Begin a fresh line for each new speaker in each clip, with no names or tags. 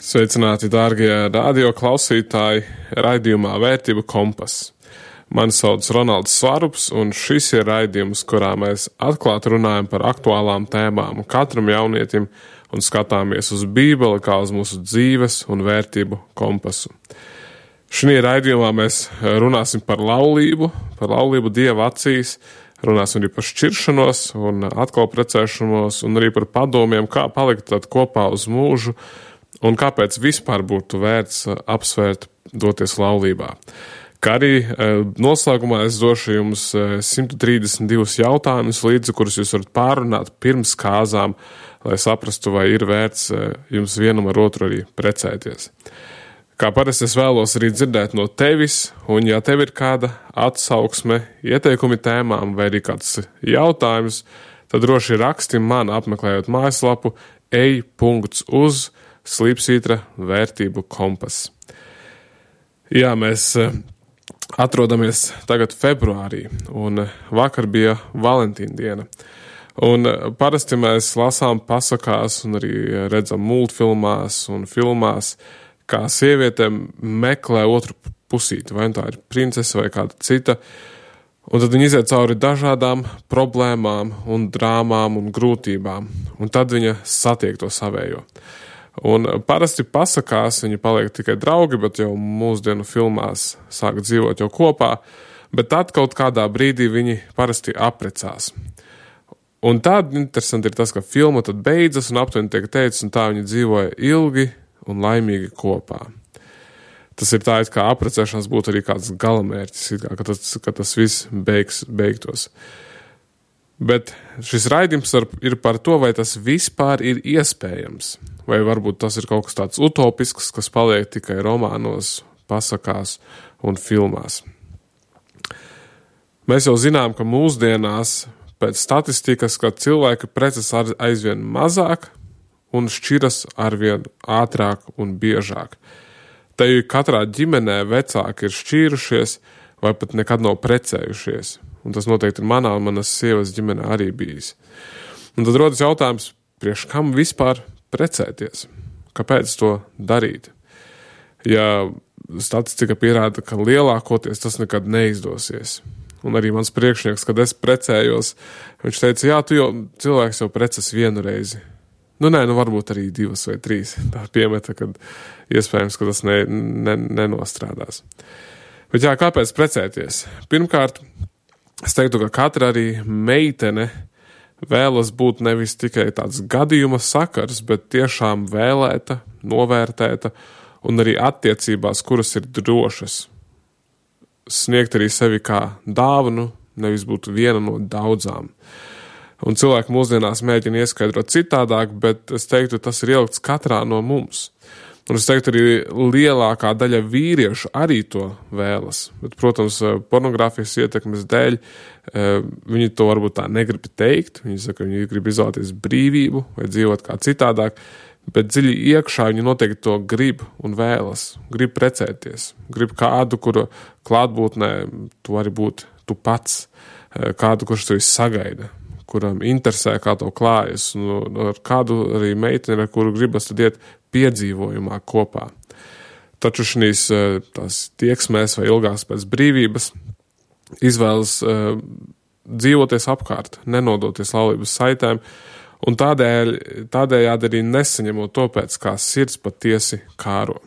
Sveicināti, dārgie radio klausītāji, raidījumā Vērtību kompas. Mani sauc Ronalds Svarups, un šis ir raidījums, kurā mēs atklāti runājam par aktuālām tēmām katram jaunietim un skatāmies uz Bībeli kā uz mūsu dzīves un vērtību kompasu. Šajā raidījumā mēs runāsim par laulību Dieva acīs, runāsim arī par šķiršanos un atkal precēšanos, un arī par padomiem, kā palikt tad kopā uz mūžu, un kāpēc vispār būtu vērts apsvērt doties laulībā. Kā arī noslēgumā es došu jums 132 jautājumus līdzi, kurus jūs varat pārunāt pirms kāzām, lai saprastu, vai ir vērts jums vienam ar otru arī precēties. Kā parasti es vēlos arī dzirdēt no tevis, un ja tev ir kāda atsauksme, ieteikumi tēmām vai arī kāds jautājums, tad droši raksti man apmeklējot mājaslapu ej.uz/slīpsvītra vērtību kompas. Jā, mēs atrodamies tagad februārī, un vakar bija Valentīna diena. Un parasti mēs lasām pasakās un arī redzam multfilmās un filmās, kā sievietēm meklē otru pusīti, vai tā ir princese vai kāda cita, un tad viņi iziet cauri dažādām problēmām un drāmām un grūtībām, un tad viņa satiek to savējo. Un parasti pasakās viņi paliek tikai draugi, bet jau mūsdienu filmās sāk dzīvot jau kopā, bet tad kaut kādā brīdī viņi parasti apprecās. Un tad interesanti ir tas, ka filma tad beidzas un aptuveni tiek teikts, un tā viņi dzīvoja ilgi un laimīgi kopā. Tas ir tā, it kā apprecēšanās būtu arī kāds galamērķis, ka tas viss beigtos. Bet šis raidījums ir par to, vai tas vispār ir iespējams, vai varbūt tas ir kaut kas tāds utopisks, kas paliek tikai romānos, pasakās un filmās. Mēs jau zinām, ka mūsdienās pēc statistikas, ka cilvēki precas aizvien mazāk un šķiras arvien ātrāk un biežāk. Te katrā ģimenē vecāki ir šķīrušies vai pat nekad nav precējušies. Un tas noteikti ir manā un manas sievas ģimenē arī bijis. Un tad rodas jautājums, priekš kam vispār precēties? Kāpēc to darīt? Ja statistika pierāda, ka lielākoties tas nekad neizdosies. Un arī mans priekšnieks, kad es precējos, viņš teica, jā, cilvēks jau preces vienu reizi. Varbūt arī 2 vai 3. Tā piemeta, kad iespējams, ka tas nenostrādās. Bet jā, kāpēc precēties? Pirmkārt, es teiktu, ka katra arī meitene vēlas būt nevis tikai tāds gadījuma sakars, bet tiešām vēlēta, novērtēta un arī attiecībās, kuras ir drošas. Sniegt arī sevi kā dāvanu, nevis būt viena no daudzām. Un cilvēki mūsdienās mēģina ieskaidrot citādāk, bet es teiktu, tas ir ielikts katrā no mums. Un es teiktu, arī lielākā daļa vīriešu arī to vēlas. Bet, protams, pornogrāfijas ietekmes dēļ viņi to varbūt tā negrib teikt. Viņi saka, viņi grib izvēlēties brīvību vai dzīvot kā citādāk, bet dziļi iekšā viņi noteikti to grib un vēlas. Grib precēties. Grib kādu, kuru klātbūtnē tu vari būt tu pats. Kādu, kurš tevi sagaida, kuram interesē, kā to klājas, un ar kādu arī meiteni, ar kuru gribas tad iet piedzīvojumā kopā. Taču šīs tās tieksmēs vai ilgās pēc brīvības izvēlas dzīvoties apkārt, nenodoties laulības saitēm, un tādējādi arī nesaņemot to pēc kā sirds patiesi kāro.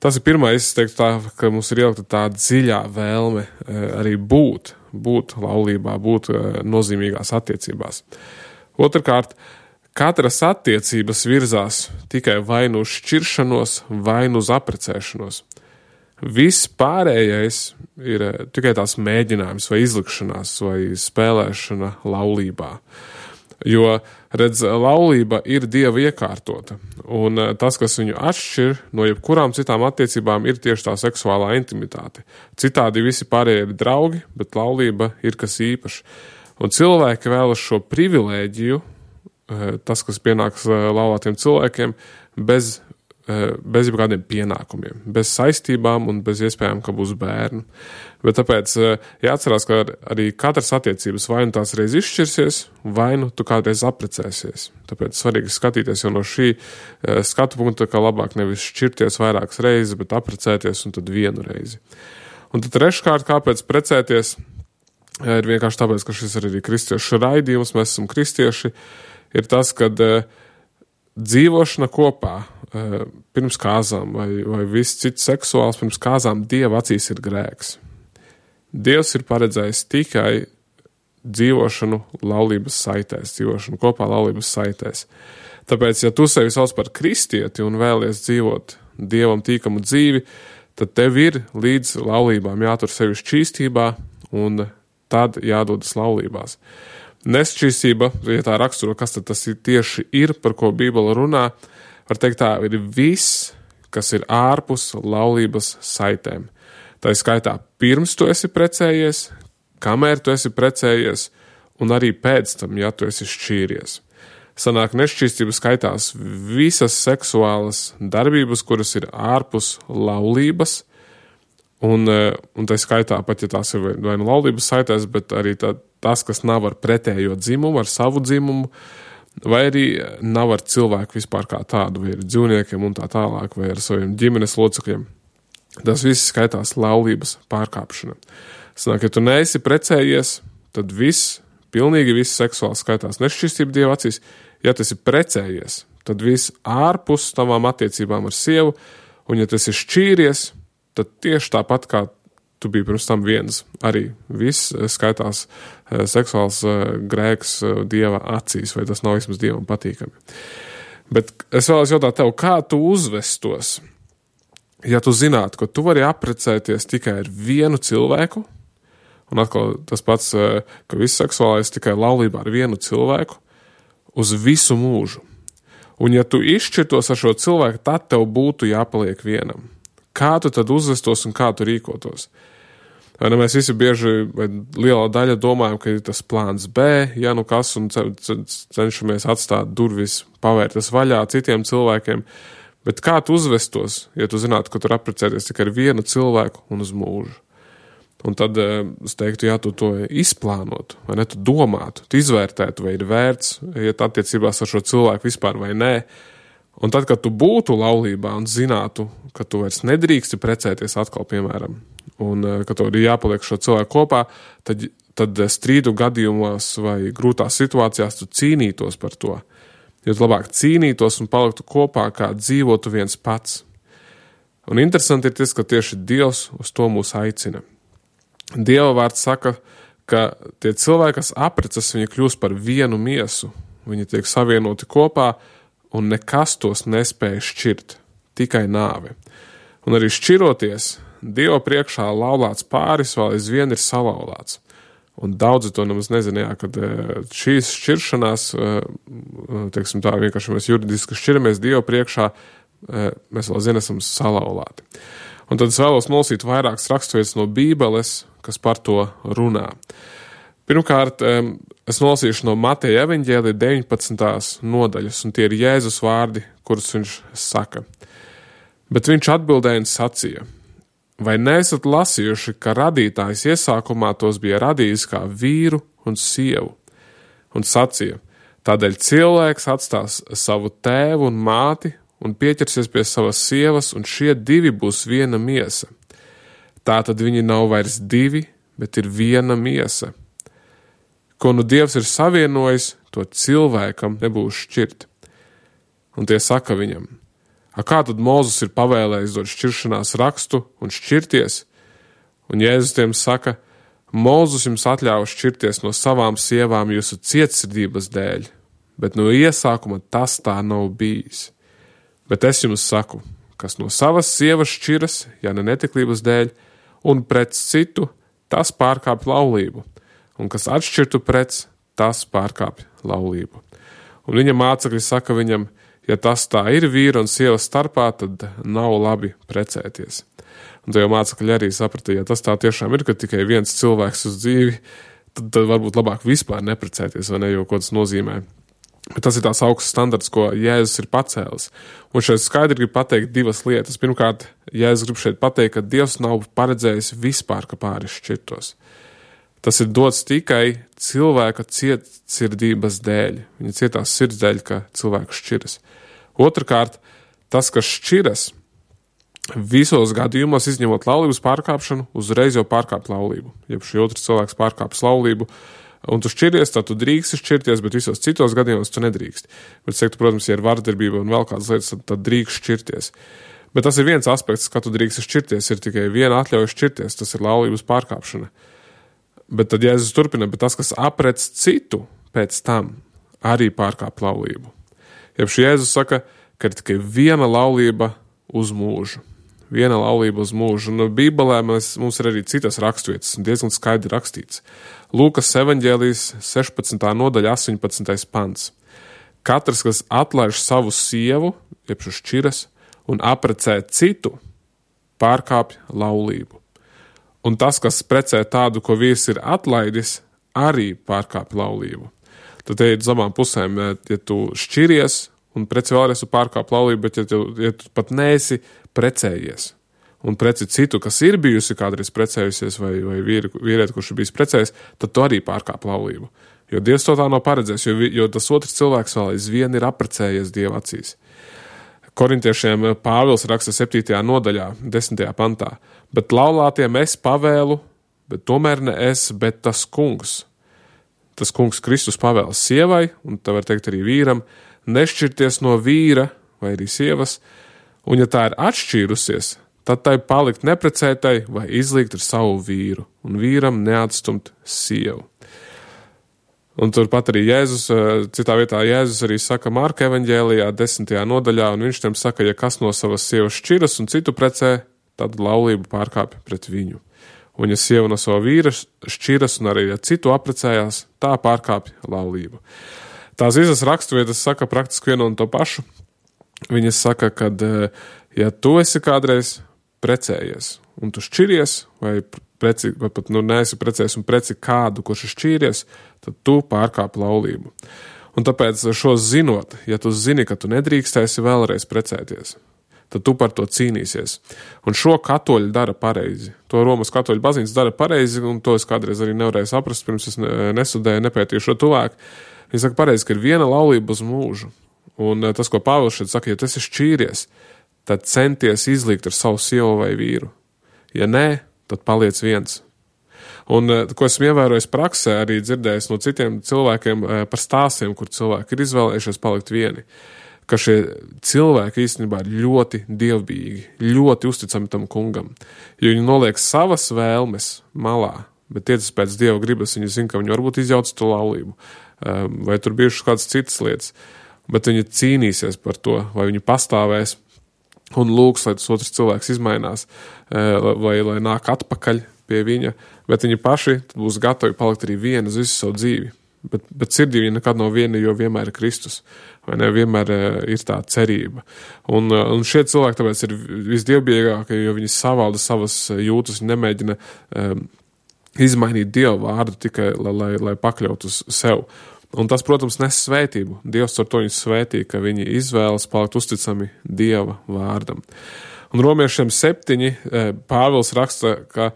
Tas ir pirmais, es teiktu tā, ka mums ir ielikta tā dziļā vēlme arī būt laulībā, būt nozīmīgās attiecībās. Otrkārt, katras attiecības virzās tikai vai nu uz šķiršanos, vai nu uz apprecēšanos. Viss pārējais ir tikai tās mēģinājums vai izlikšanās vai spēlēšana laulībā. Jo, redz, laulība ir Dieva iekārtota, un tas, kas viņu atšķir no jebkurām citām attiecībām, ir tieši tā seksuālā intimitāte. Citādi visi pārējie ir draugi, bet laulība ir kas īpašs. Un cilvēki vēlas šo privilēģiju, tas, kas pienāks laulātiem cilvēkiem, bez bez jebkādiem pienākumiem, bez saistībām un bez iespējām, ka būs bērni. Bet tāpēc jāatcerās, ka arī katras attiecības vai nu tās reiz izšķirsies, vai nu tu kādreiz apprecēsies. Tāpēc svarīgi skatīties jau no šī skatu punkta, ka labāk nevis šķirties vairākas reizes, bet apprecēties un tad vienu reizi. Un tad treškārt, kāpēc precēties, ir vienkārši tāpēc, ka šis ir arī kristiešu raidījums, mēs esam kristieši, ir tas, kad dzīvošana kopā pirms kāzām vai viss cits seksuāls pirms kāzām Dieva acīs ir grēks. Dievs ir paredzējis tikai dzīvošanu laulības saitēs, dzīvošanu kopā laulības saitēs. Tāpēc, ja tu sevi sauc par kristieti un vēlies dzīvot Dievam tīkamu dzīvi, tad tev ir līdz laulībām jātur sevi šķīstībā un tad jādodas laulībās. Nešķīstība, ja tā raksturo, kas tad tas tieši ir, par ko Bībele runā, var teikt tā, ir viss, kas ir ārpus laulības saitēm. Tā ir skaitā pirms tu esi precējies, kamēr tu esi precējies, un arī pēc tam, ja tu esi šķīries. Sanāk, nešķīstība skaitās visas seksuālas darbības, kuras ir ārpus laulības, un tā skaitā pat, ja tās ir vai nu laulības saitēs, bet arī tas, kas nav ar pretējo dzimumu, ar savu dzimumu, vai arī nav ar cilvēku vispār kā tādu, vai ar dzīvniekiem un tā tālāk, vai ar saviem ģimenes locekļiem. Tas viss skaitās laulības pārkāpšana. Sanāk, ja tu neesi precējies, tad pilnīgi viss seksuāls skaitās nešķīstība Dieva acīs. Ja tu esi precējies, tad viss ārpus tavām attiecībām ar sievu, un ja tu esi šķīries, tad tieši tāpat kā tu biji pirms tam viens, arī viss skaitās seksuāls grēks Dieva acīs, vai tas nav vismaz Dievam patīkami. Bet es vēlos jautāt tev, kā tu uzvestos, ja tu zinātu, ka tu vari apprecēties tikai ar vienu cilvēku, un atkal tas pats, ka viss seksuālais tikai laulībā ar vienu cilvēku, uz visu mūžu. Un ja tu izšķirtos ar šo cilvēku, tad tev būtu jāpaliek vienam. Kā tu tad uzvestos un kā tu rīkotos? Vai ne, mēs visi bieži, vai lielā daļa domājam, ka ir tas plāns B, ja nu kas, un cenšamies atstāt durvis, pavērtas vaļā citiem cilvēkiem. Bet kā tu uzvestos, ja tu zinātu, ka tu apprecēties tikai ar vienu cilvēku un uz mūžu? Un tad es teiktu, ja tu to izplānotu, vai ne, tu domātu, tu izvērtētu, vai ir vērts iet attiecībās ar šo cilvēku vispār vai nē. Un tad, kad tu būtu laulībā un zinātu, ka tu vairs nedrīksti precēties atkal, piemēram, un ka tev ir jāpaliek šo cilvēku kopā, tad strīdu gadījumos vai grūtās situācijās tu cīnītos par to. Jo tu labāk cīnītos un paliktu kopā, kā dzīvotu viens pats. Un interesanti ir tas, ka tieši Dievs uz to mūs aicina. Dieva vārds saka, ka tie cilvēki, kas apprecas, viņi kļūst par vienu miesu. Viņi tiek savienoti kopā, un nekas tos nespēja šķirt, tikai nāve. Un arī šķiroties, Dieva priekšā laulāts pāris vēl aizvien ir salauzts. Un daudzi to nemaz nezināja, kad šīs šķiršanās, teiksim tā, vienkārši mēs juridiski šķiramies Dieva priekšā, mēs vēl zin esam salauzti. Un tad es vēlos nolasīt vairākas raksturvietas no Bībeles, kas par to runā. Pirmkārt, es nolasīšu no Mateja evaņģēlija 19. nodaļas, un tie ir Jēzus vārdi, kurus viņš saka. Bet viņš atbildēja un sacīja: vai neesat lasījuši, ka radītājs iesākumā tos bija radījis kā vīru un sievu? Un sacīja: tādēļ cilvēks atstās savu tēvu un māti un pieķersies pie savas sievas, un šie divi būs viena miesa. Tātad viņi nav vairs divi, bet ir viena miesa. Ko nu Dievs ir savienojis, to cilvēkam nebūs šķirt. Un tie saka viņam: a kā tad Mūzes ir pavēlējis dot šķiršanās rakstu un šķirties? Un Jēzus tiem saka: Mūzes jums atļāva šķirties no savām sievām jūsu cietsirdības dēļ, bet no iesākuma tas tā nav bijis. Bet es jums saku, kas no savas sievas šķiras, ja ne netiklības dēļ, un pret citu, tas pārkāpj laulību, un kas atšķirtu pret, tas pārkāpj laulību. Un viņa mācekļi saka viņam: ja tas tā ir vīra un sievas starpā, tad nav labi precēties. Un tie jau mācekļi arī saprata, ja tas tā tiešām ir, ka tikai viens cilvēks uz dzīvi, tad varbūt labāk vispār neprecēties, vai ne, jo ko tas nozīmē. Bet tas ir tās augsts standarts, ko Jēzus ir pacēlis. Un šeit skaidri grib pateikt divas lietas. Pirmkārt, Jēzus grib šeit pateikt, ka Dievs nav paredzējis vispār, ka pāri šķirtos. Tas ir dots tikai cilvēka cietsirdības dēļ. Viņa cietās sirds dēļ, ka cilvēks šķiras. Otrkārt, tas, kas šķiras, visos gadījumos, izņemot laulības pārkāpšanu, uzreiz jau pārkāp laulību. Ja šī otrs cilvēks pārkāpis laulību, un tu šķiries, tad tu drīksti šķirties, bet visos citos gadījumos tu nedrīkst. Bet, protams, ja ir vardarbība un vēl kādas lietas, tad drīkst šķirties. Bet tas ir viens aspekts, ka tu drīksti šķirties, ir tikai viena atļauja šķirties, tas ir laulības pārkāpšana. Bet tad Jēzus turpina, bet tas, kas aprec citu pēc tam, arī pārkāp laulību. Ja šī Jēzus saka, ka ir tikai viena laulība uz mūžu. Viena laulība uz mūžu. Un Bībelē mums ir arī citas raksturvietas, un diezgan skaidri rakstīts. Lūkas evaņģēlijas 16. nodaļa 18. pants. Katrs, kas atlaiž savu sievu, jeb šķiras, un aprecē citu, pārkāpj laulību. Un tas, kas precē tādu, ko vīrs ir atlaidis, arī pārkāpj laulību. Tad te ir zamām pusēm, ja tu šķiries un preci vēlreiz tu pārkāpj laulību, bet ja tu pat neesi precējies un preci citu, kas ir bijusi kādreiz precējusies vai vīrieti, kurš ir bijis precējis, tad tu arī pārkāp laulību. Jo Dievs to tā nav paredzējis, jo tas otrs cilvēks vēl aizvien ir apprecējies Dieva acīs. Korintiešiem Pāvils raksta 7. nodaļā, 10. pantā. Bet laulātiem es pavēlu, bet tomēr ne es, bet tas kungs. Tas kungs Kristus pavēl sievai, un tā var teikt arī vīram, nešķirties no vīra vai arī sievas, un ja tā ir atšķīrusies, tad tai palikt neprecētai vai izlīgt ar savu vīru, un vīram neatstumt sievu. Un turpat arī Jēzus, citā vietā Jēzus arī saka Marka evaņģēlijā 10. nodaļā, un viņš tiem saka, ja kas no savas sievas šķiras un citu precē, tad laulību pārkāpj pret viņu. Un ja sieva no sava vīra šķiras un arī ja citu aprecējās, tā pārkāpj laulību. Tās visas raksturvietas saka praktiski vienu un to pašu. Viņas saka, kad ja tu esi kādreiz precējies un tu šķiries vai pat neesi precējies un preci kādu, kurš ir šķīries, tad tu pārkāp laulību. Un tāpēc šo zinot, ja tu zini, ka tu nedrīkstēsi vēlreiz precēties, tad tu par to cīnīsies. Un šo katoļi dara pareizi. To Romas katoļu baznīca dara pareizi, un to es kādreiz arī nevarēju saprast, pirms es nesudēju, nepētīju šo tuvāk. Viņi saka pareizi, ka ir viena laulība uz mūžu. Un tas, ko Pāvils šeit saka, ja tu esi šķīries, tad centies izlīgt ar savu sievu vai vīru. Ja nē, tad paliec viens. Un, ko esmu ievērojis praksē, arī dzirdējis no citiem cilvēkiem par stāstiem, kur cilvēki ir izvēlējušies palikt vieni, ka šie cilvēki īstenībā ir ļoti dievbijīgi, ļoti uzticami tam kungam, jo viņi noliek savas vēlmes malā, bet tiecas pēc Dieva gribas, viņi zina, ka viņi varbūt izjauc to laulību, vai tur bijušas kādas citas lietas, bet viņi cīnīsies par to, vai viņi pastāvēs un lūgs, lai tas otrs cilvēks izmainās, vai lai nāk atpakaļ pie viņa, bet viņi paši būs gatavi palikt arī vieni uz visu savu dzīvi. Bet sirdī viņa nekad nav viena, jo vienmēr ir Kristus, vai ne, vienmēr ir tā cerība. Un šie cilvēki tāpēc ir visdievbijīgākie, jo viņi savalda savas jūtas, viņi nemēģina izmainīt Dieva vārdu tikai, lai pakļautu uz sev. Un tas, protams, nes svētību. Dievs ar to viņus svētī, ka viņi izvēlas palikt uzticami Dieva vārdam. Un Romiešiem 7 Pāvils raksta, ka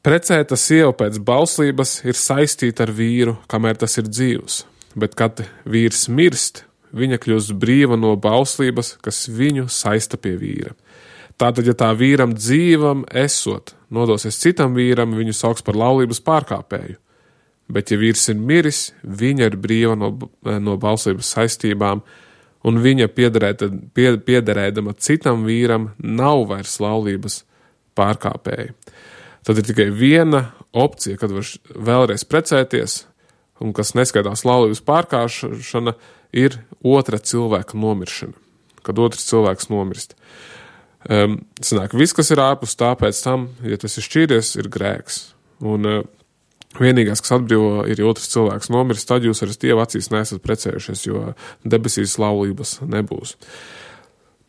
precēta sieva pēc bauslības ir saistīta ar vīru, kamēr tas ir dzīvs. Bet, kad vīrs mirst, viņa kļūst brīva no bauslības, kas viņu saista pie vīra. Tātad, ja tā vīram dzīvam esot, nodosies citam vīram, viņu sauks par laulības pārkāpēju. Bet, ja vīrs ir miris, viņa ir brīva no bauslības saistībām, un viņa piederēdama citam vīram nav vairs laulības pārkāpēja. Tad ir tikai viena opcija, kad var vēlreiz precēties, un kas neskaitās laulības pārkāpšana, ir otra cilvēka nomiršana, kad otrs cilvēks nomirst. Sanāk, viss, kas ir ārpus tā pēc tam, ja tas ir šķīries, ir grēks. Un vienīgais, kas atbrīvo, ir otrs cilvēks nomirst, tad jūs ar Dieva acīs neesat precējušies, jo debesīs laulības nebūs.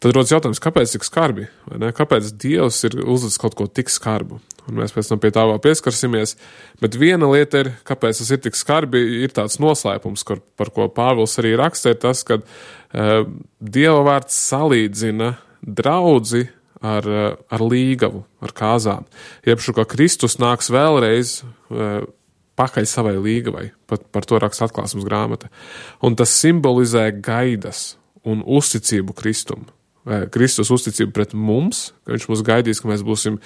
Tad rodas jautājums, kāpēc tik skarbi? Vai ne? Kāpēc Dievs ir uzlicis kaut ko tik skarbu? un mēs pēc tam pie tā vēl pieskarsimies. Bet viena lieta ir, kāpēc tas ir tik skarbi, ir tāds noslēpums, par ko Pāvils arī raksta, ir tas, ka Dieva vārds salīdzina draudzi ar līgavu, ar kāzām. Iepšu, ka Kristus nāks vēlreiz pakaļ savai līgavai, par to raksta Atklāsmes grāmata. Un tas simbolizē gaidas un uzticību Kristum. Kristus uzticību pret mums, ka viņš mūs gaidīs, ka mēs būsim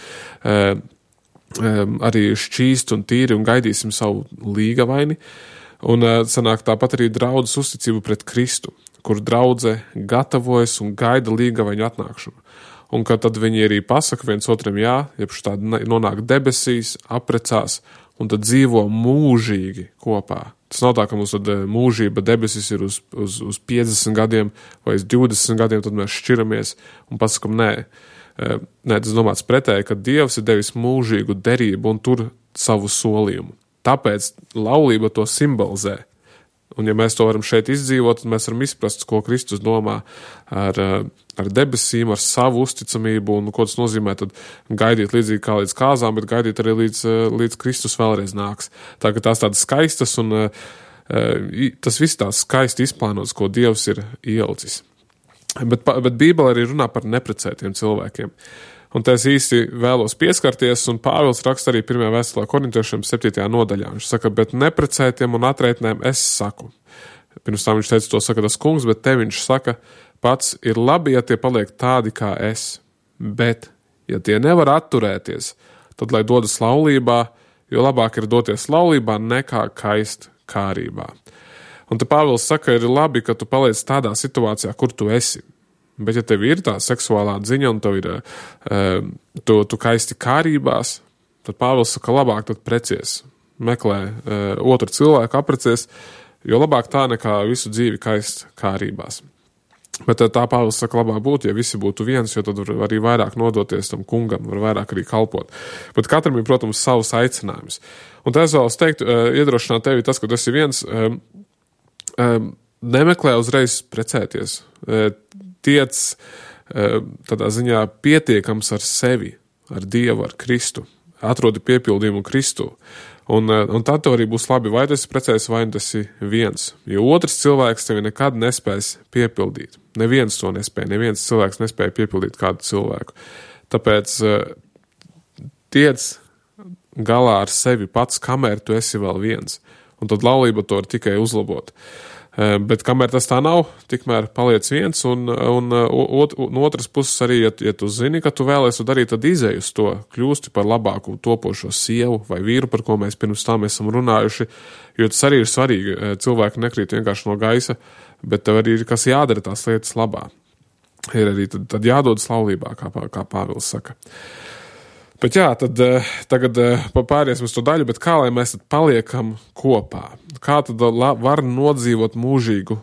arī šķīsti un tīri un gaidīsim savu līgavaini. Un sanāk tāpat arī draudzes uzticību pret Kristu, kur draudze gatavojas un gaida līgavaņu atnākšanu. Un ka tad viņi arī pasaka viens otram jā, jebšu tādi nonāk debesīs, aprecās un tad dzīvo mūžīgi kopā. Tas nav tā, ka mums tad mūžība debesis ir uz 50 gadiem vai uz 20 gadiem, tad mēs šķiramies un pasakam nē. Nē, tas domāts pretēji, ka Dievs ir devis mūžīgu derību un tur savu solījumu. Tāpēc laulība to simbolizē. Un ja mēs to varam šeit izdzīvot, tad mēs varam izprast, ko Kristus domā ar debesīm, ar savu uzticamību un ko tas nozīmē tad gaidīt līdzīgi kā līdz kāzām, bet gaidīt arī līdz Kristus vēlreiz nāks. Tā ka tās tādas skaistas un tas viss tās skaisti izplānots, ko Dievs ir ielicis. Bet Bībele arī runā par neprecētiem cilvēkiem. Un te es īsti vēlos pieskarties, un Pāvils raksta arī 1. vēstulē korintiešiem 7. nodaļā. Viņš saka, bet neprecētiem un atraitnēm es saku. Pirms tam viņš teica, to saka tas kungs, bet te viņš saka, pats ir labi, ja tie paliek tādi kā es. Bet, ja tie nevar atturēties, tad lai dodas laulībā, jo labāk ir doties laulībā nekā kaist kārībā. Un te Pāvils saka, ir labi, ka tu paliec tādā situācijā, kur tu esi. Bet ja tev ir tā seksuālā dziņa un tev ir, tu kaisti kārībās, tad Pāvils saka, labāk tad precies, meklē otru cilvēku, aprecies, jo labāk tā nekā visu dzīvi kaist kārībās. Bet tā Pāvils saka, labāk būtu, ja visi būtu viens, jo tad var arī vairāk nodoties tam kungam, var vairāk arī kalpot. Bet katram ir, protams, savs aicinājums. Un tā es vēlos teikt, iedrošināt tevi tas, ka tu esi viens, nemeklē uzreiz precēties. Tiec tādā ziņā pietiekams ar sevi, ar Dievu, ar Kristu. Atrodi piepildījumu Kristu. Un tad tev arī būs labi, vai tu esi precējies, vai tu esi viens. Jo otrs cilvēks tevi nekad nespēs piepildīt. Neviens to nespēja. Neviens cilvēks nespēja piepildīt kādu cilvēku. Tāpēc tiec galā ar sevi pats, kamēr tu esi vēl viens. Un tad laulība to var tikai uzlabot. Bet kamēr tas tā nav, tikmēr paliec viens, un otras puses arī, ja tu zini, ka tu vēlies to darīt, tad izej uz to, kļūsti par labāku topošo sievu vai vīru, par ko mēs pirms tam esam runājuši, jo tas arī ir svarīgi. Cilvēki nekrīt vienkārši no gaisa, bet tev arī ir kas jādara tās lietas labā. Ir arī tad jādodas laulībā, kā Pāvils saka. Bet jā, tad tagad pāriesim uz to daļu, bet kā lai mēs tad paliekam kopā? Kā tad var nodzīvot mūžīgu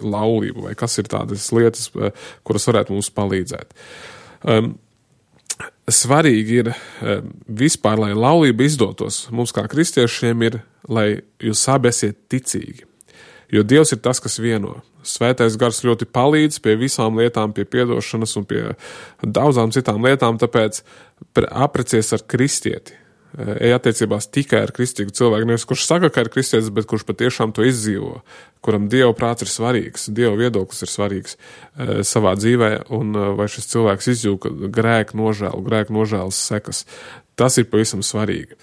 laulību? Vai kas ir tādas lietas, kuras varētu mums palīdzēt? Svarīgi ir vispār, lai laulība izdotos. Mums kā kristiešiem ir, lai jūs abi esiet ticīgi. Jo Dievs ir tas, kas vieno. Svētais gars ļoti palīdz pie visām lietām, pie piedošanas un pie daudzām citām lietām, tāpēc aprecies ar kristieti. Ej attiecībās tikai ar kristīgu cilvēku, nevis kurš saka, ka ir kristietis, bet kurš patiešām to izdzīvo, kuram Dieva prāts ir svarīgs, Dieva viedoklis ir svarīgs savā dzīvē, un vai šis cilvēks izjūta grēku nožēlas sekas. Tas ir pavisam svarīgi.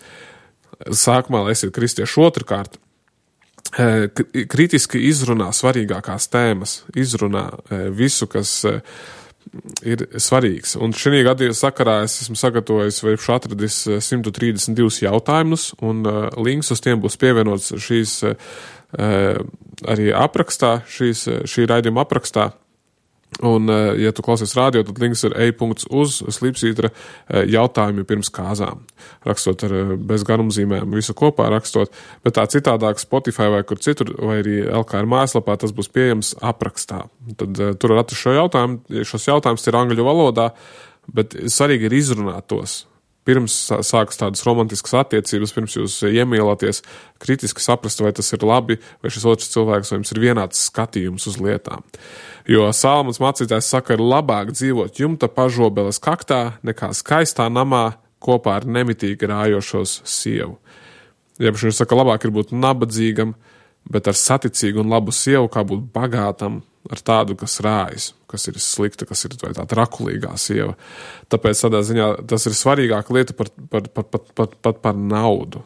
Sākumā, lai esiet kristieši, otrkārt, kritiski izrunā svarīgākās tēmas, izrunā visu, kas ir svarīgs. Un šī gada sakarā es esmu sagatavojis vai atradis 132 jautājumus, un links uz tiem būs pievienots šīs arī aprakstā, šī raidījuma aprakstā. Un, ja tu klausies radio, tad links ir e.uz slīpsvītra jautājumi pirms kāzām. Rakstot ar bez garumzīmēm, visu kopā rakstot, bet tā citādāk Spotify vai kur citur, vai arī LKR mājaslapā, tas būs pieejams aprakstā. Tad tur var atrast šos jautājumus ir angļu valodā, bet svarīgi ir izrunāt tos. Pirms sākas tādas romantiskas attiecības, pirms jūs iemīlaties, kritiski saprast, vai tas ir labi, vai šis otrs cilvēks, vai jums ir vienāds skatījums uz lietām. Jo Salmons mācītājs saka, ir labāk dzīvot jumta pažobeles kaktā, nekā skaistā namā kopā ar nemitīgi rājošos sievu. Jeb viņš saka, labāk ir būt nabadzīgam, bet ar saticīgu un labu sievu, kā būt bagātam ar tādu, kas rājas, kas ir slikta, kas ir vai tā trakulīgā sieva. Tāpēc tādā ziņā tas ir svarīgāka lieta par naudu,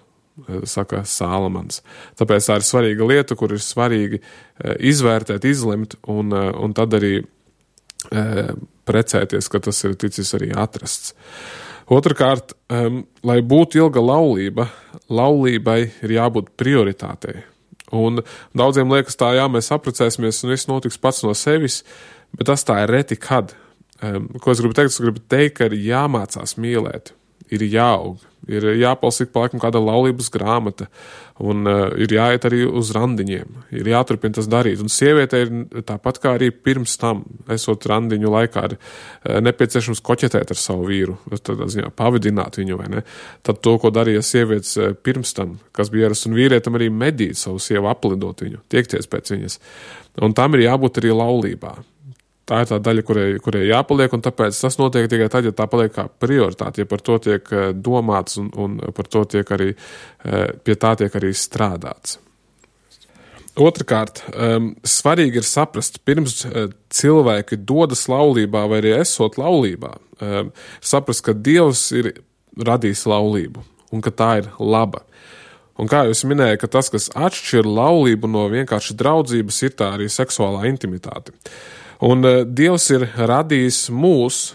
saka Sālamans. Tāpēc tā ir svarīga lieta, kur ir svarīgi izvērtēt, izlemt un tad arī precēties, ka tas ir ticis arī atrasts. Otrakārt, lai būtu ilga laulība, laulībai ir jābūt prioritātei. Un daudziem liekas tā, jā, mēs apprecēsimies un viss notiks pats no sevis, bet tas tā ir reti kad. Ko es gribu teikt? Es gribu teikt, ka ir jāmācās mīlēt, ir jāaug, ir jāpalsik pa laikam kāda laulības grāmata un ir jāiet arī uz randiņiem, ir jāturpina tas darīt. Un sieviete ir tāpat kā arī pirms tam, esot randiņu laikā, ir nepieciešams koķetēt ar savu vīru, tādā ziņā pavadināt viņu, vai ne? Tad to, ko darīja sievietes pirms tam, kas bija ierasts, un vīrietam arī medīt savu sievu, aplidot viņu, tiekties pēc viņas. Un tam ir jābūt arī laulībā. Tā ir tā daļa, kurai jāpaliek, un tāpēc tas notiek tikai tad, ja tā paliek kā prioritāte, ja par to tiek domāts un par to tiek arī, pie tā tiek arī strādāts. Otrakārt, svarīgi ir saprast, pirms cilvēki dodas laulībā vai arī esot laulībā, saprast, ka Dievs ir radījis laulību un ka tā ir laba. Un kā jūs minēju, ka tas, kas atšķir laulību no vienkārši draudzības, ir tā arī seksuālā intimitāte. Un Dievs ir radījis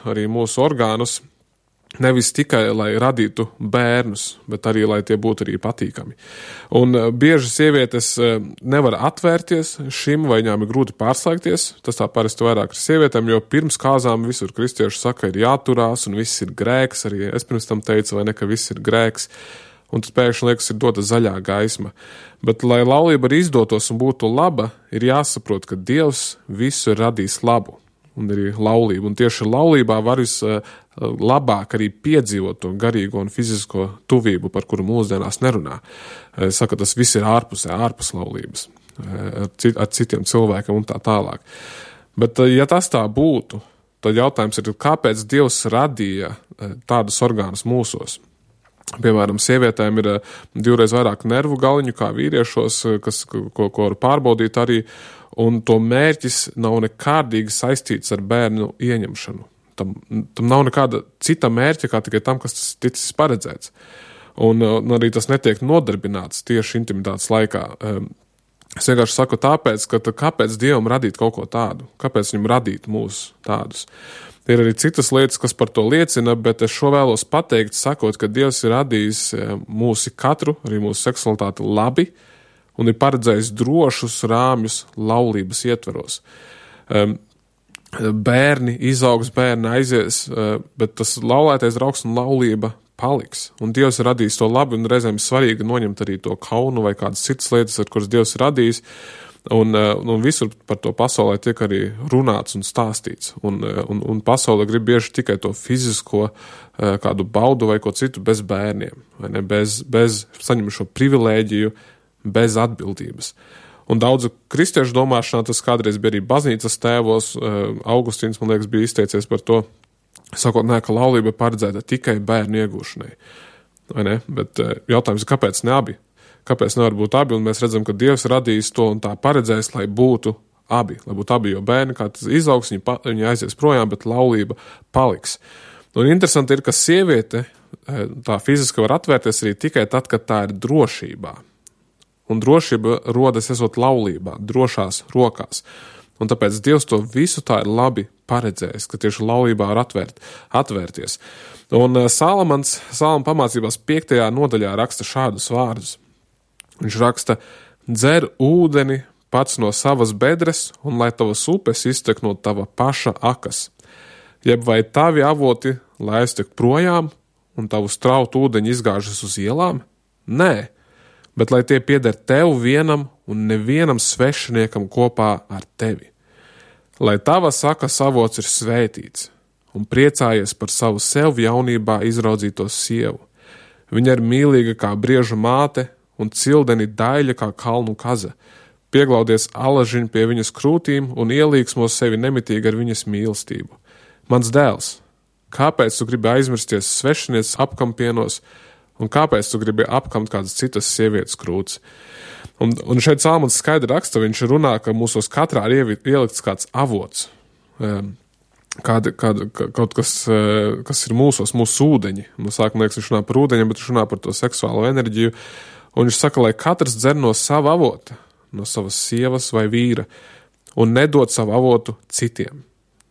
arī mūsu orgānus, nevis tikai, lai radītu bērnus, bet arī, lai tie būtu arī patīkami. Un bieži sievietes nevar atvērties šim, vai viņām ir grūti pārslēgties, tas tā parasti vairāk ar sievietēm, jo pirms kāzām visur kristieši saka, ir jāturās, un viss ir grēks, arī es pirms tam teicu, vai ne, ka viss ir grēks, un tad pēkšņi liekas, ir dota zaļā gaisma. Bet, lai laulība arī izdotos un būtu laba, ir jāsaprot, ka Dievs visu ir radījis labu, un arī laulību. Un tieši laulībā var vislabāk arī piedzīvot to garīgo un fizisko tuvību, par kuru mūsdienās nerunā. Saka, tas viss ir ārpus laulības, ar citiem cilvēkiem un tā tālāk. Bet, ja tas tā būtu, tad jautājums ir, kāpēc Dievs radīja tādus orgānus mūsos? Piemēram, sievietēm ir 2 reiz vairāk nervu galiņu kā vīriešos, ko var pārbaudīt arī, un to mērķis nav nekādīgi saistīts ar bērnu ieņemšanu. Tam nav nekāda cita mērķa, kā tikai tam, kas tas ticis paredzēts. Un arī tas netiek nodarbināts tieši intimitātes laikā. Es vienkārši saku tāpēc, ka kāpēc Dievam radīt kaut ko tādu? Kāpēc viņam radīt mūs tādus? Ir arī citas lietas, kas par to liecina, bet es šo vēlos pateikt, sakot, ka Dievs ir radījis mūsu katru, arī mūsu seksualitāti labi un ir paredzējis drošus rāmjus laulības ietveros. Bērni izaugs, bērni aizies, bet tas laulētais draugs un laulība paliks. Un Dievs ir radījis to labi, un reizēm svarīgi noņemt arī to kaunu vai kādas citas lietas, ar kuras Dievs ir radījis. Un visur par to pasaulē tiek arī runāts un stāstīts. Un pasaule grib bieži tikai to fizisko kādu baudu vai ko citu bez bērniem, vai ne? Bez saņem šo privilēģiju, bez atbildības. Un daudzu kristiešu domāšanā tas kādreiz bija arī baznīcas tēvos. Augustīns, man liekas, bija izteicies par to, sakot, ka laulība paredzēta tikai bērnu iegūšanai. Vai ne? Bet jautājums ir, kāpēc ne abi? Kāpēc nevar būt abi, un mēs redzam, ka Dievs radījis to un tā paredzējis, lai būtu abi, jo bērni, kā tas izaugs, viņi aizies projām, bet laulība paliks. Un interesanti ir, ka sieviete tā fiziski var atvērties arī tikai tad, kad tā ir drošībā. Un drošība rodas esot laulībā, drošās rokās. Un tāpēc Dievs to visu tā ir labi paredzējis, ka tieši laulībā var atvērties. Un Sālamans pamācībās 5. nodaļā raksta šādus vārdus. Viņš raksta, dzer ūdeni pats no savas bedres, un lai tavas upes iztek no tava paša akas. Jeb vai tavi avoti lai aiztek projām, un tavu strautu ūdeņi izgāžas uz ielām? Nē, bet lai tie pieder tev vienam un nevienam svešiniekam kopā ar tevi. Lai tavas akas avots ir svētīts, un priecājies par savu sev jaunībā izraudzīto sievu. Viņa ir mīlīga kā brieža māte, un cildeni daļa kā kalnu kaza. Pieglaudies alažiņu pie viņas krūtīm un ielīgsmo sevi nemitīgi ar viņas mīlestību. Mans dēls, Kāpēc tu gribi aizmirsties svešinies apkampienos, un kāpēc tu gribi apkamt kādas citas sievietes krūts? Un šeit Salmons skaidri raksta, viņš runā, ka mūsos katrā ir ielikts kāds avots, kaut kas, kas ir mūsos, mūsu ūdeņi. Mums sākumā liekas, viņš runā par ūdeņiem, bet viņš runā par to seksuālo enerģiju. Un viņš saka, lai katrs dzer no sava avota, no savas sievas vai vīra, un nedod savu avotu citiem.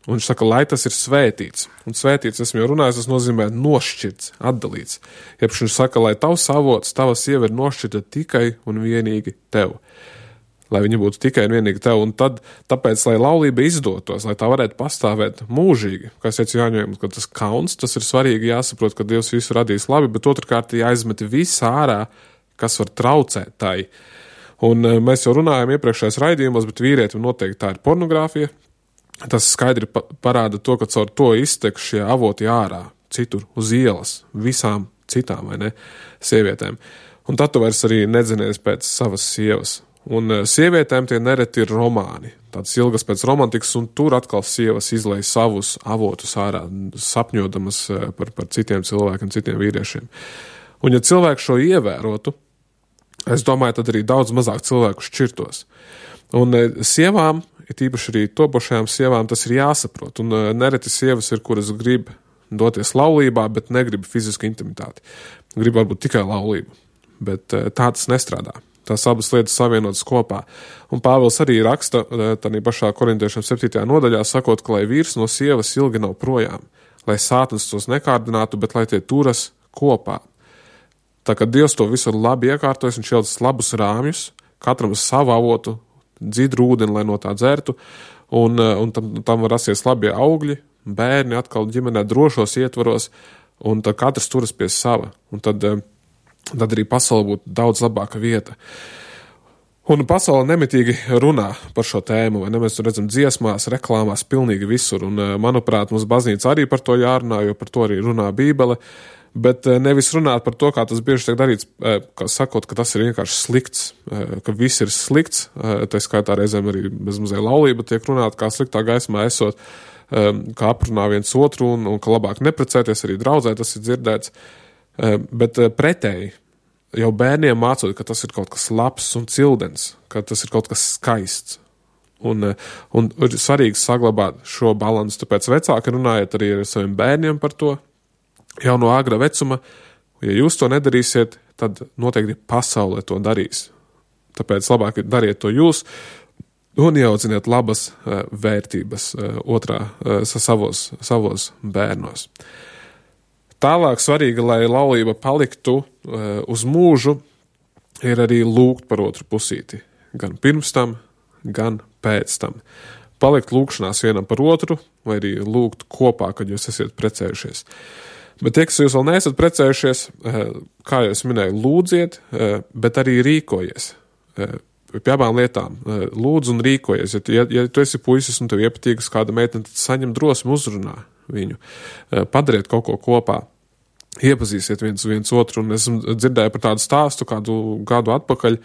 Un viņš saka, lai tas ir svētīts. Un svētīts, esmu jau runājis, tas nozīmē nošķirts, atdalīts. Iepš viņš saka, lai tavs avots, tava sieva ir nošķirta tikai un vienīgi tev. Lai viņa būtu tikai un vienīgi tev. Un tāpēc, lai laulība izdotos, lai tā varētu pastāvēt mūžīgi, kā es teicu Jāņojam, ka tas kauns, tas ir svarīgi jāsaprot, ka Dievs visu radīs labi, bet otrkārt jāizmet viss ārā, kas var traucēt tai. Un mēs jau runājam iepriekšējos raidījumos, bet vīrietim noteikti tā ir pornogrāfija. Tas skaidri parāda to, ka caur to iztek šie avoti ārā, citur uz ielas, visām citām, vai ne, sievietēm. Un tad tu vairs arī nedzinies pēc savas sievas. Un sievietēm tie nereti ir romāni, tāds ilgas pēc romantikas, un tur atkal sievas izlej savus avotus ārā, sapņodamas par citiem cilvēkiem, citiem vīriešiem. Un ja cilvēki šo ievērotu, es domāju, tad arī daudz mazāk cilvēku šķirtos. Un sievām, it īpaši arī topošajām sievām, tas ir jāsaprot. Un nereti sievas ir, kuras grib doties laulībā, bet negrib fizisku intimitāti. Grib varbūt tikai laulību, bet tā tas nestrādā. Tās abas lietas savienotas kopā. Un Pāvils arī raksta tādā pašā Korintiešiem 7. nodaļā, sakot, ka lai vīrs no sievas ilgi nav projām, lai sātans tos nekārdinātu, bet lai tie turas kopā. Tā kā Dievs to visu labi iekārtojas, viņš ielicis labus rāmjus, katram savu avotu, dzidru ūdeni, lai no tā dzertu, un tam var rasties labie augļi, bērni atkal ģimenē drošos ietvaros, un tad katrs turas pie sava, un tad arī pasaule būtu daudz labāka vieta. Un pasaule nemitīgi runā par šo tēmu, vai ne? Mēs to redzam dziesmās, reklāmās, pilnīgi visur, un manuprāt, mums baznīca arī par to jārunā, jo par to arī runā Bībele, bet nevis runāt par to, kā tas bieži tiek darīts, sakot, ka tas ir vienkārši slikts, ka viss ir slikts, tā skaitā reizēm arī bezmazliet laulība tiek runāt, kā sliktā gaismā esot, kā aprunā viens otru un ka labāk neprecēties, arī draudzē tas ir dzirdēts, bet pretēji, jau bērniem mācot, ka tas ir kaut kas labs un cildens, ka tas ir kaut kas skaists. Un ir svarīgi saglabāt šo balansu, tāpēc vecāki runājiet arī ar saviem bērniem par to, jau no agra vecuma, ja jūs to nedarīsiet, tad noteikti pasaule to darīs. Tāpēc labāk dariet to jūs un ieaudziniet labas vērtības savos bērnos. Tālāk svarīgi, lai laulība paliktu uz mūžu, ir arī lūgt par otru pusīti. Gan pirms tam, gan pēc tam. Palikt lūgšanās vienam par otru, vai arī lūgt kopā, kad jūs esat precējušies. Bet tie, kas jūs vēl neesat precējušies, kā jau es minēju, lūdziet, bet arī rīkojies. Pie abām lietām lūdzu un rīkojies. Ja tu esi puisis un tev iepatīgas kāda meitene, tad saņem drosmi uzrunā viņu. Padariet kaut ko kopā. Iepazīsiet viens otru. Un esmu dzirdēju par tādu stāstu kādu gadu atpakaļ,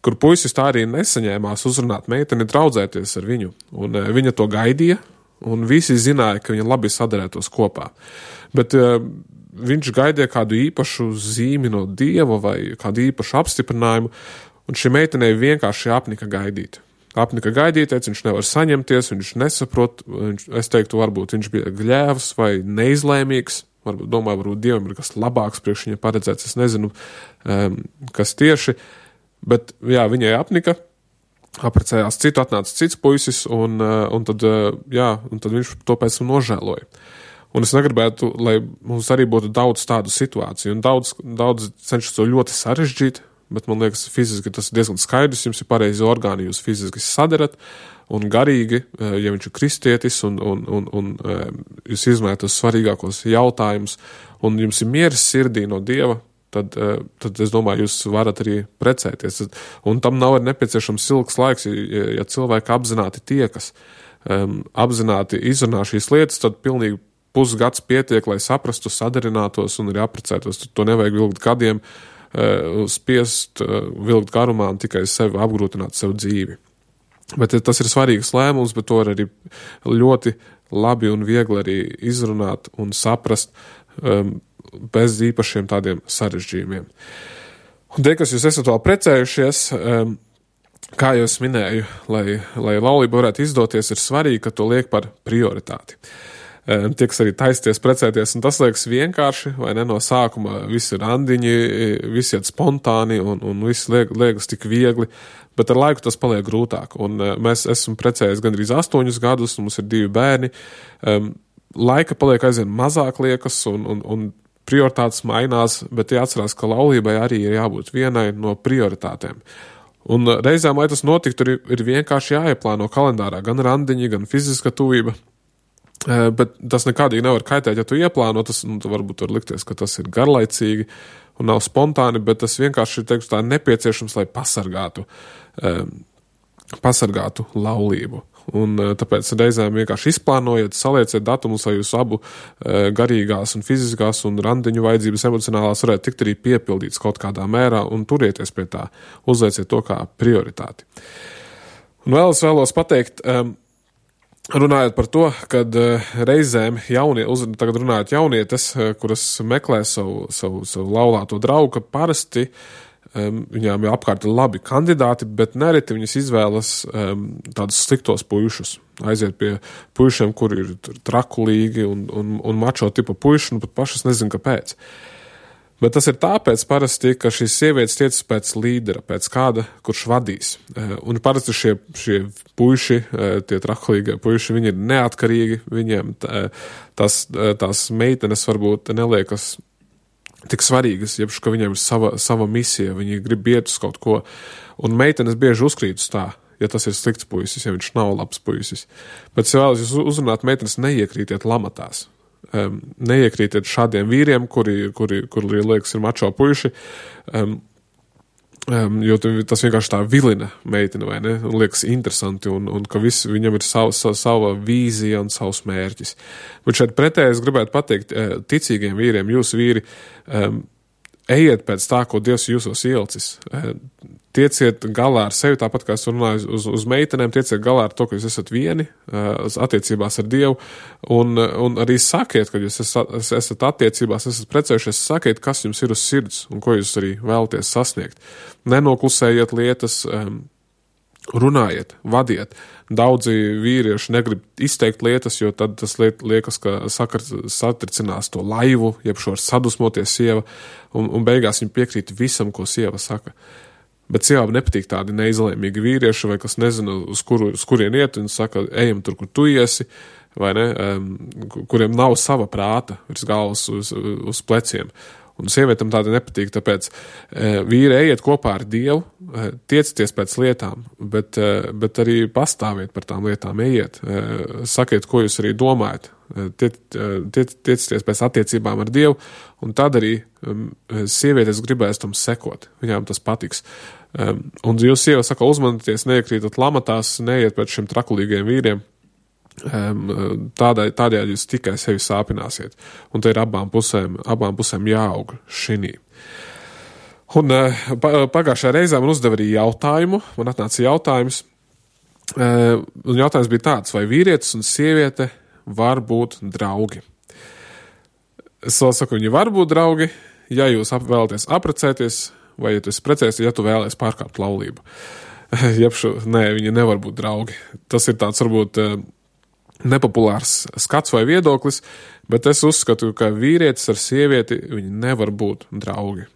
kur puisis tā arī nesaņēmās uzrunāt meiteni, draudzēties ar viņu. Un viņa to gaidīja. Un visi zināja, ka viņi labi sadarētos kopā. Bet viņš gaidīja kādu īpašu zīmi no Dieva vai kādu īpašu apstiprinājumu, un šī meitenei vienkārši apnika gaidīt. Teica, viņš nevar saņemties, viņš nesaprot, es teiktu, varbūt viņš bija gļēvs vai neizlēmīgs, varbūt Dievam ir kas labāks priekš viņa paredzēts, es nezinu, kas tieši, bet jā, viņai apnika, apprecējās citu, atnāca cits puisis, un tad viņš to pēc tam nožēloja. Un es negribētu, lai mums arī būtu daudz tādu situāciju, un daudz cenšas to ļoti sarežģīt, bet man liekas, fiziski tas ir diezgan skaidrs, jums ir pareizi orgāni, jūs fiziski sadarat, un garīgi, ja viņš ir kristietis, un jūs izmējat uz svarīgākos jautājumus, un jums ir miers sirdī no Dieva, tad es domāju, jūs varat arī precēties. Un tam nav nepieciešams ilgs laiks, ja cilvēki apzināti tiekas, apzināti izrunā šīs lietas, tad pilnīgi pusgads pietiek, lai saprastu, sadarinātos un arī apprecētos. To nevajag vilkt gadiem, spiest, vilkt garumā un tikai sevi apgrūtināt sev dzīvi. Bet tas ir svarīgs lēmums, bet to var arī ļoti labi un viegli arī izrunāt un saprast bez īpašiem tādiem sarežģījumiem. Un tie, kas jūs esat vēl precējušies, kā jau es minēju, lai laulība varētu izdoties, ir svarīgi, ka to liek par prioritāti. Tie, kas arī taisties precēties, un tas liekas vienkārši, vai ne, no sākuma visi randiņi, visi iet spontāni, un viss liekas tik viegli, bet ar laiku tas paliek grūtāk. Un mēs esam precējies gandrīz 8 gadus, un mums ir 2 bērni. Laika paliek aizvien mazāk liekas, un prioritātes mainās, bet jāatcerās, ka laulībai arī ir jābūt vienai no prioritātēm. Un reizēm, lai tas notiktu, ir vienkārši jāieplāno kalendārā gan randiņi, gan fiziska tuvība. Bet tas nekādīgi nevar kaitēt, ja tu ieplāno, tas varbūt var likties, ka tas ir garlaicīgi un nav spontāni, bet tas vienkārši ir tā nepieciešams, lai pasargātu laulību. Un tāpēc reizēm vienkārši izplānojiet, salieciet datumus, lai jūs abu garīgās un fiziskās un randiņu vajadzības emocionālās varētu tikt arī piepildīts kaut kādā mērā un turieties pie tā, uzlieciet to kā prioritāti. Un vēl es vēlos pateikt, runājot par to, kad reizēm tagad runājot jaunietes, kuras meklē savu laulāto draugu, ka parasti viņām jau apkārt ir labi kandidāti, bet nereti viņas izvēlas tādus sliktos puišus. Aiziet pie puišiem, kuri ir trakulīgi un mačo tipa puiši, un pat pašas nezinu, kāpēc. Bet tas ir tāpēc parasti, ka šīs sievietes tiecas pēc līdera, pēc kāda, kurš vadīs. Un parasti šie puiši, tie trakulīgie puiši, viņi ir neatkarīgi, viņiem tās meitenes varbūt neliekas tik svarīgas, jebš, ka viņiem ir sava misija, viņi grib iet uz kaut ko. Un meitenes bieži uzkrīt uz tā, ja tas ir slikts puisis, ja viņš nav labs puisis. Bet, ja vēlas jūs uzrunāt, meitenes neiekrītiet lamatās. Neiekrītiet šādiem vīriem, kuri liekas ir mačo puiši, jo tas vienkārši tā vilina meiteni, vai ne? Un liekas interesanti, un ka viņam ir sava vīzija un savs mērķis. Bet šeit pretēji es gribētu pateikt ticīgiem vīriem, jūs vīri, ejiet pēc tā, ko Dievs jūsos ielicis. Tieciet galā ar sevi, tāpat kā es runāju uz meitenēm, tieciet galā ar to, ka jūs esat vieni attiecībās ar Dievu, un arī sakiet, kad jūs esat attiecībās, esat precējušies, sakiet, kas jums ir uz sirds un ko jūs arī vēlaties sasniegt. Nenoklusējiet lietas, runājiet, vadiet. Daudzi vīrieši negrib izteikt lietas, jo tad tas liekas, ka satricinās to laivu, jeb šo sadusmoties sieva, un beigās viņi piekrīt visam, ko sieva saka. Bet sievām nepatīk tādi neizlēmīgi vīrieši, vai kas nezinu, uz kurien iet, un saka, ejam tur, kur tu iesi, vai ne, kuriem nav sava prāta virs galvas uz pleciem. Un sievietam tāda nepatīk, tāpēc vīri ejiet kopā ar Dievu, tiecieties pēc lietām, bet arī pastāviet par tām lietām, ejiet, sakiet, ko jūs arī domājat, tiecieties pēc attiecībām ar Dievu, un tad arī sievietes gribēs tam sekot, viņām tas patiks. Un jūs sieva saka, uzmanieties, neiekrītat lamatās, neiet pēc šiem trakulīgiem vīriem, tādējādi jūs tikai sevi sāpināsiet. Un te ir abām pusēm jāaug šinī. Un pagājušajā reizē man uzdeva arī jautājumu, man atnāca jautājums, un jautājums bija tāds, vai vīrietis un sieviete var būt draugi. Es vēl saku, viņi var būt draugi, ja jūs vēlaties apprecēties, vai ja tu esi precējies, ja tu vēlies pārkāpt laulību. Nē, viņi nevar būt draugi. Tas ir tāds varbūt nepopulārs skats vai viedoklis, bet es uzskatu, ka vīrietis ar sievieti viņi nevar būt draugi.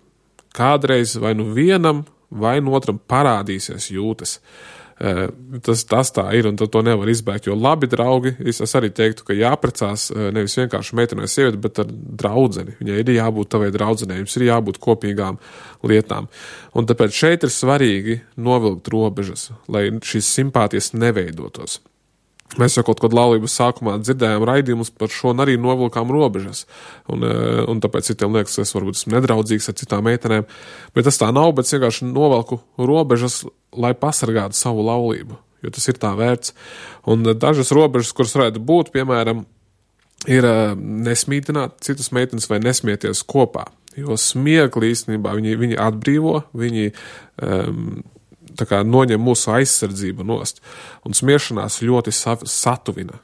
Kādreiz vai nu vienam, vai nu otram parādīsies jūtas. Tas tā ir, un to nevar izbēgt, jo labi draugi, es arī teiktu, ka jāprecās nevis vienkārši meiteni vai sievieti, bet ar draudzeni. Viņai ir jābūt tavai draudzenei, jums ir jābūt kopīgām lietām. Un tāpēc šeit ir svarīgi novilkt robežas, lai šīs simpātijas neveidotos. Mēs jau kaut kad laulības sākumā dzirdējām raidījumus par šo un arī novilkām robežas. Un tāpēc citiem liekas, ka es varbūt esmu nedraudzīgs ar citām meitenēm. Bet tas tā nav, bet vienkārši novelku robežas, lai pasargātu savu laulību. Jo tas ir tā vērts. Un dažas robežas, kuras varētu būt, piemēram, ir nesmītināt citas meitenes vai nesmieties kopā. Jo smiekli īstenībā viņi atbrīvo, viņi tā kā noņem mūsu aizsardzību nost. Un smiešanās ļoti satuvina.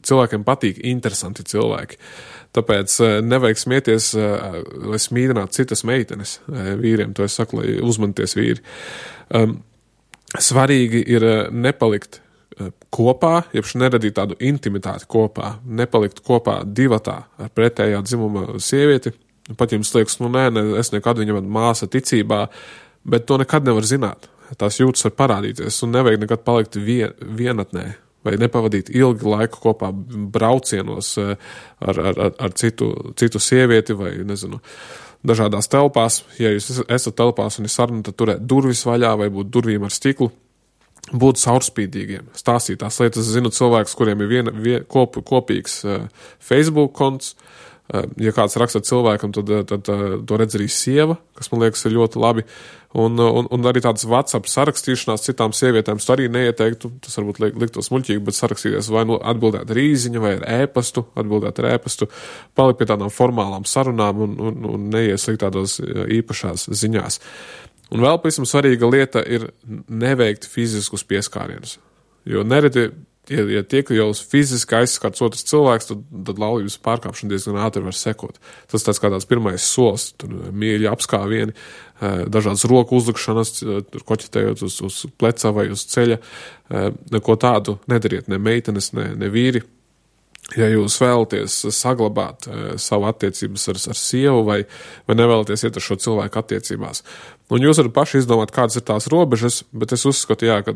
Cilvēkiem patīk interesanti cilvēki. Tāpēc nevajag smieties, lai smīdinātu citas meitenes vīriem. To es saku, lai uzmanties vīri. Svarīgi ir nepalikt kopā, jeb neradīt tādu intimitāti kopā, nepalikt kopā divatā ar pretējā dzimuma sievieti. Pat jums liekas, es nekad viņam māsa ticībā, bet to nekad nevar zināt. Tās jūtas var parādīties un nevajag nekad palikt vienatnē vai nepavadīt ilgi laiku kopā braucienos ar citu sievieti vai, nezinu, dažādās telpās. Ja jūs esat telpās un ir saruna, tad turēt durvis vaļā vai būt durvīm ar stiklu. Būt caurspīdīgiem, stāstīt tās lietas. Es zinu cilvēkus, kuriem ir kopīgs Facebook konts. Ja kāds raksta cilvēkam, tad to redz arī sieva, kas man liekas ir ļoti labi. Un arī tādas WhatsApp sarakstīšanās citām sievietēm, tu arī neieteiktu, tas varbūt liktos muļķīgi, bet sarakstīties vai atbildēt ar īziņu vai ar ēpastu, palikt pie tādām formālām sarunām un neieslikt tādos īpašās ziņās. Un vēl pavisam svarīga lieta ir neveikt fiziskus pieskārienus. Jo nereti, ja tiek jau fiziski aizskarts otrs cilvēks, tad laulības pārkāpšana diezgan ātri var sekot. Tas tāds kā tāds pirmais solis, tur mīļi apskāvieni, dažādas roku uzlikšanas, koķitējot uz pleca vai uz ceļa. Neko tādu nedariet, ne meitenes, ne vīri. Ja jūs vēlaties saglabāt savu attiecības ar sievu vai nevēlaties iet ar šo cilvēku attiecībās. Un jūs varat paši izdomāt, kādas ir tās robežas, bet es uzskatu, ka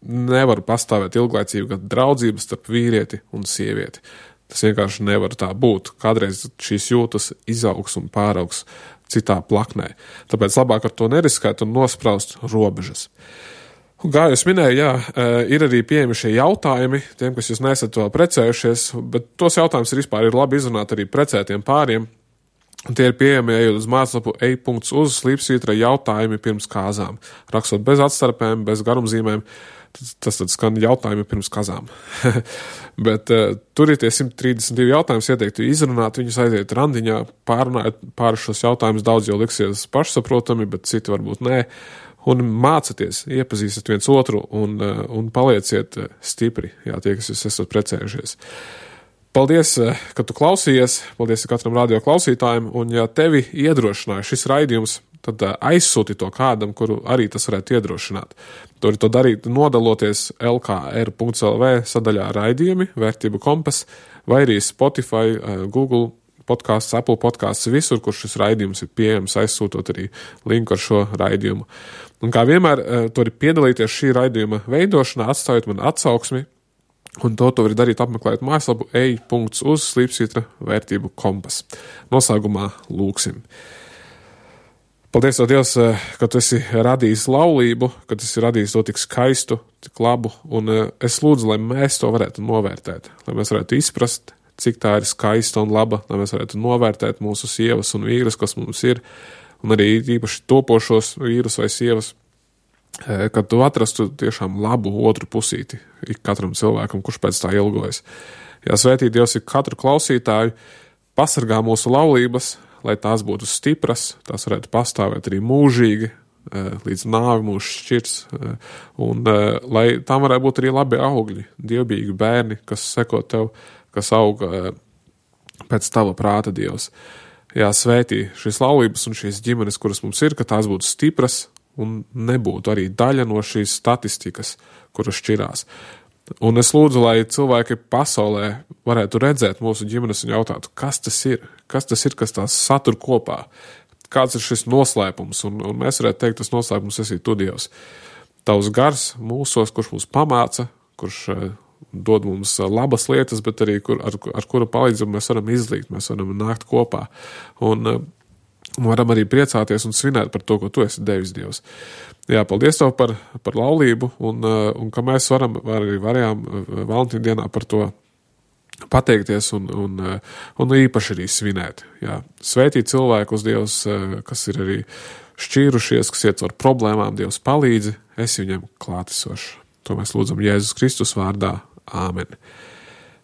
nevar pastāvēt ilglaicīga draudzība starp vīrieti un sievieti. Tas vienkārši nevar tā būt. Kādreiz šīs jūtas izaugs un pāraugs citā plaknē. Tāpēc labāk ar to neriskēt un nospraust robežas. Un kā jūs minēju, ir arī pieejami šie jautājumi, tiem, kas jūs nesat vēl precējušies, bet tos jautājumus ir labi izrunāt arī precētiem pāriem. Un tie ir pieejami, ejot uz mājaslapu ej.uz//, jautājumi pirms kāzām. Rakstot bez atstarpēm, bez garumzīmēm, tas tad skan jautājumi pirms kazām. Bet tur ir tie 132 jautājumus, ieteiktu izrunāt, viņus aiziet randiņā, pārunājot pāri šos jautājumus, daudz jau liksies pašsaprotami, bet citi varbūt nē. Un mācieties, iepazīstat viens otru un palieciet stipri, tie, kas jūs esat precējušies. Paldies, ka tu klausījies, paldies katram radio klausītājiem, un ja tevi iedrošināja šis raidījums, tad aizsūti to kādam, kuru arī tas varētu iedrošināt. To darīt nodaloties lkr.lv sadaļā raidījumi, vērtību kompas, vai arī Spotify, Google podcasts, Apple podcasts, visur, kur šis raidījums ir pieejams, aizsūtot arī linku ar šo raidījumu. Un kā vienmēr, tu vari piedalīties šī raidījuma veidošanā, atstājot man atsauksmi, un to var darīt apmeklējot mājaslapu ej.uz// vērtību kompas. Noslēgumā lūksim. Paldies, Dievs, ka tu esi radījis laulību, ka tu esi radījis to tik skaistu, tik labu, un es lūdzu, lai mēs to varētu novērtēt, lai mēs varētu izprast, cik tā ir skaista un laba, lai mēs varētu novērtēt mūsu sievas un vīrus, kas mums ir, un arī īpaši topošos vīrus vai sievas, kad tu atrastu tiešām labu otru pusīti ik katram cilvēkam, kurš pēc tā ilgojas. Svētī Dievs ir katru klausītāju, pasargā mūsu laulības, lai tās būtu stipras, tās varētu pastāvēt arī mūžīgi, līdz nāvi mūs šķirs, un lai tām varētu būt arī labi augļi, dievbijīgi bērni, kas seko tev, kas auga pēc tava prāta, Dievs. Svētī šīs laulības un šīs ģimenes, kuras mums ir, ka tās būtu stipras un nebūtu arī daļa no šīs statistikas, kuras šķirās. Un es lūdzu, lai cilvēki pasaulē varētu redzēt mūsu ģimenes un jautātu, kas tas ir, kas tās satur kopā, kāds ir šis noslēpums, un mēs varētu teikt, tas noslēpums esi tu, Dievs. Tavs gars mūsos, kurš mūs pamāca, kurš dod mums labas lietas, bet arī ar kura palīdzību mēs varam izlīgt, mēs varam nākt kopā un varam arī priecāties un svinēt par to, ko tu esi devis, Dievs. Paldies tev par laulību un ka mēs varējām Valentīna dienā par to pateikties un īpaši arī svinēt. Svētīt cilvēkus, Dievs, kas ir arī šķīrušies, kas iet ar problēmām, Dievs palīdzi, esi viņam klātesošs. To mēs lūdzam Jēzus Kristus vārdā. Āmen.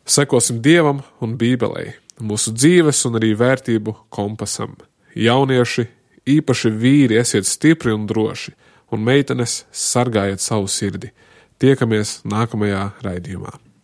Sekosim Dievam un Bībelei, mūsu dzīves un arī vērtību kompasam. Jaunieši, īpaši vīri, esiet stipri un droši un meitenes, sargājiet savu sirdi. Tiekamies nākamajā raidījumā.